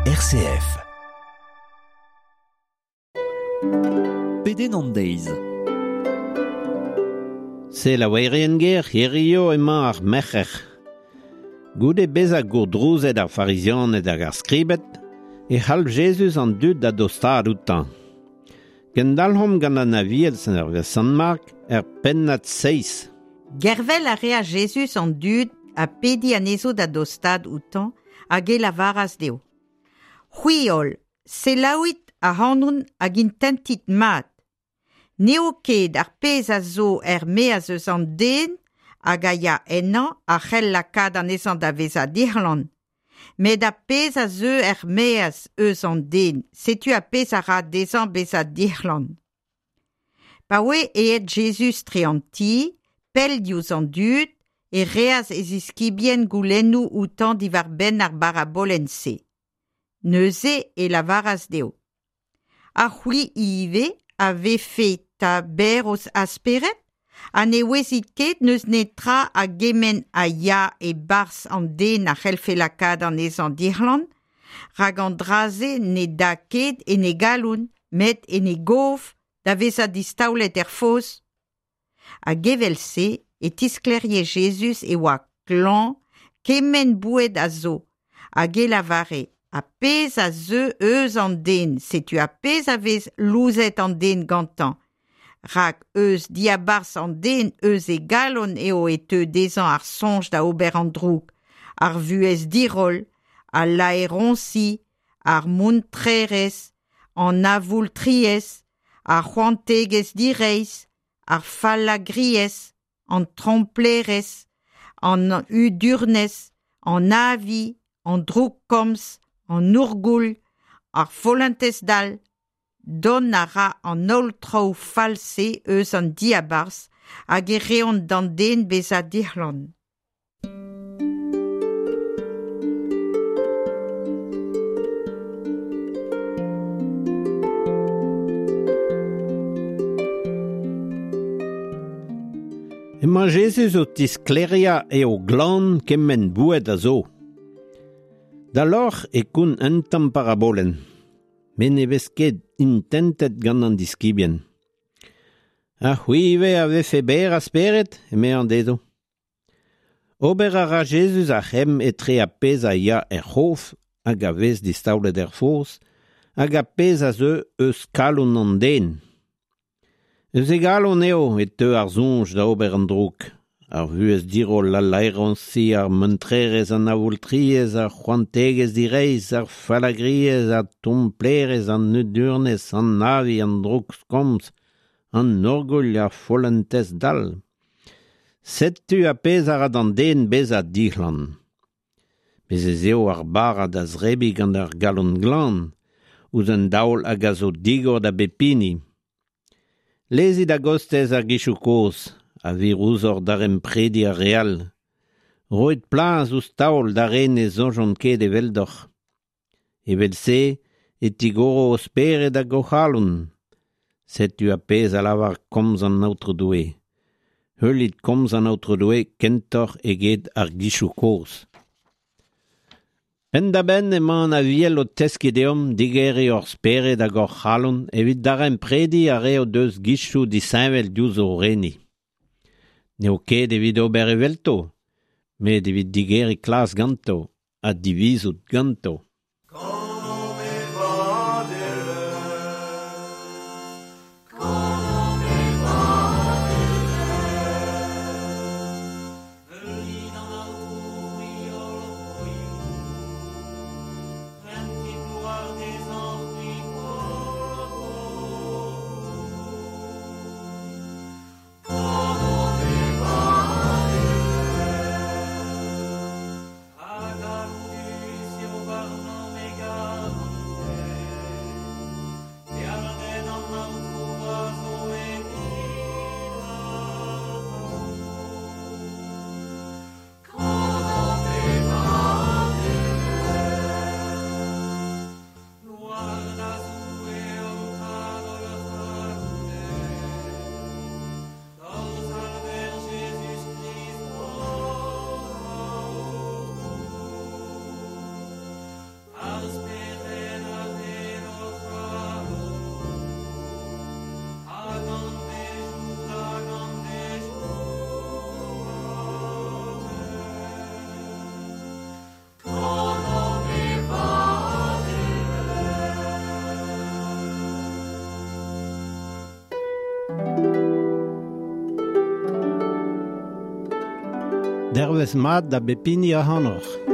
RCF. Pedenn an deiz. Selaouerien ger, hirio emañ ar merc'her. Goude bezañ gourdrouzet ar Farizianed hag ar skribed, e c'halv Jezuz an dud da dostaat outañ. Kendalc'homp gant an Aviel hervez Sant Mark er pennad seizh. Gervel a rea Jezuz an dud ha pediñ anezho da dostaat outañ hag e lavaras dezho. C'hwi holl, selaouit ac'hanon hag intentit mat. N'eo ket ar pezh a zo er-maez eus an den hag a ya ennañ a c'hell lakaat anezhañ da vezañ dic'hlan. Met ar pezh a zeu er-maez eus an den, setu ar pezh a ra dezhañ bezañ dic'hlan. Pa oe aet Jezuz tre an ti, pell diouzh an dud, e reas e ziskibien goulennoù outañ diwar-benn ar barabolenn-se. Neuze e lavaras dezho. Ha c'hwi ivez a vefe 'ta berr a spered? Ha ne ouezit ket n'eus netra a gement a ya e-barzh an den a c'hellfe lakaat anezhañ dic'hlan, rak an dra-se ne da ket en e galon, met en e gof da vezañ distaolet er foz. Hag evel-se e tisklêrie Jezuz e oa klañv kement boued a zo, hag e lavare ar pezh a zeu eus an den, setu ar pezh a vez louzet an den gantañ. Rak eus diabarzh an den eus e galon eo e teu dezhañ ar soñj da ober an droug, ar vuhez diroll, al laeroñsi, ar muntrerezh, an avoultriezh, ar c'hoantegezh direizh, ar fallagriezh, an tromplerezh, an hudurnez, an avi, an droukkomz, an ourgouilh, ar follentez dall. Dont a ra an holl traoù fall-se eus an diabarzh hag e reont d'an den bezañ dic'hlan. Emañ Jezuz o tisklêriañ eo glan kement boued a zo. Da lorc'h e kont un tamm parabolenn, met ne vez ket intentet gant an diskibien. Ha c'hwi ivez a vefe berr a spered, eme an dezho. Ober a ra Jezuz ar c'hemm etre ar pezh a ya er c'hof hag a vez distaolet er foz, hag ar pezh a zeu eus kalon an den. Eus e galon eo e teu ar soñj da ober an droug, ar vuhez diroll, al laeroñsi, ar muntrerezh, an avoultriezh, ar c'hoantegezh direizh, ar fallagriezh, ar tromplerezh, an hudurnez, an avi, an droukkomz, an orgouilh, ar follentez dall. Setu ar pezh a ra d'an den bezañ dic'hlan. Bez' ez eo ar bara da zebriñ gant ar galon glan, ouzh un daol hag a zo digor da bep hini. Lezit a-gostez ar gizioù kozh a vir ouzhoc'h daremprediñ ar re all. Roit plas ouzh taol d'ar re ne soñjont ket eveldoc'h. Evel-se e tigoro ho spered hag ho c'halon. Setu ar pezh a lavar komz an Aotrou Doue. Heulit komz an Aotrou Doue kentoc'h eget ar gizioù kozh. Penn-da-benn emañ an Aviel o teskiñ deomp digeriñ hor spered hag hor c'halon evit daremprediñ ar re o deus gizioù disheñvel diouzh o reni. N'eo ket evit ober evelto, met evit digeriñ klas ganto ha divizout ganto. Dervez mat da bep hini ac'hanoc'h.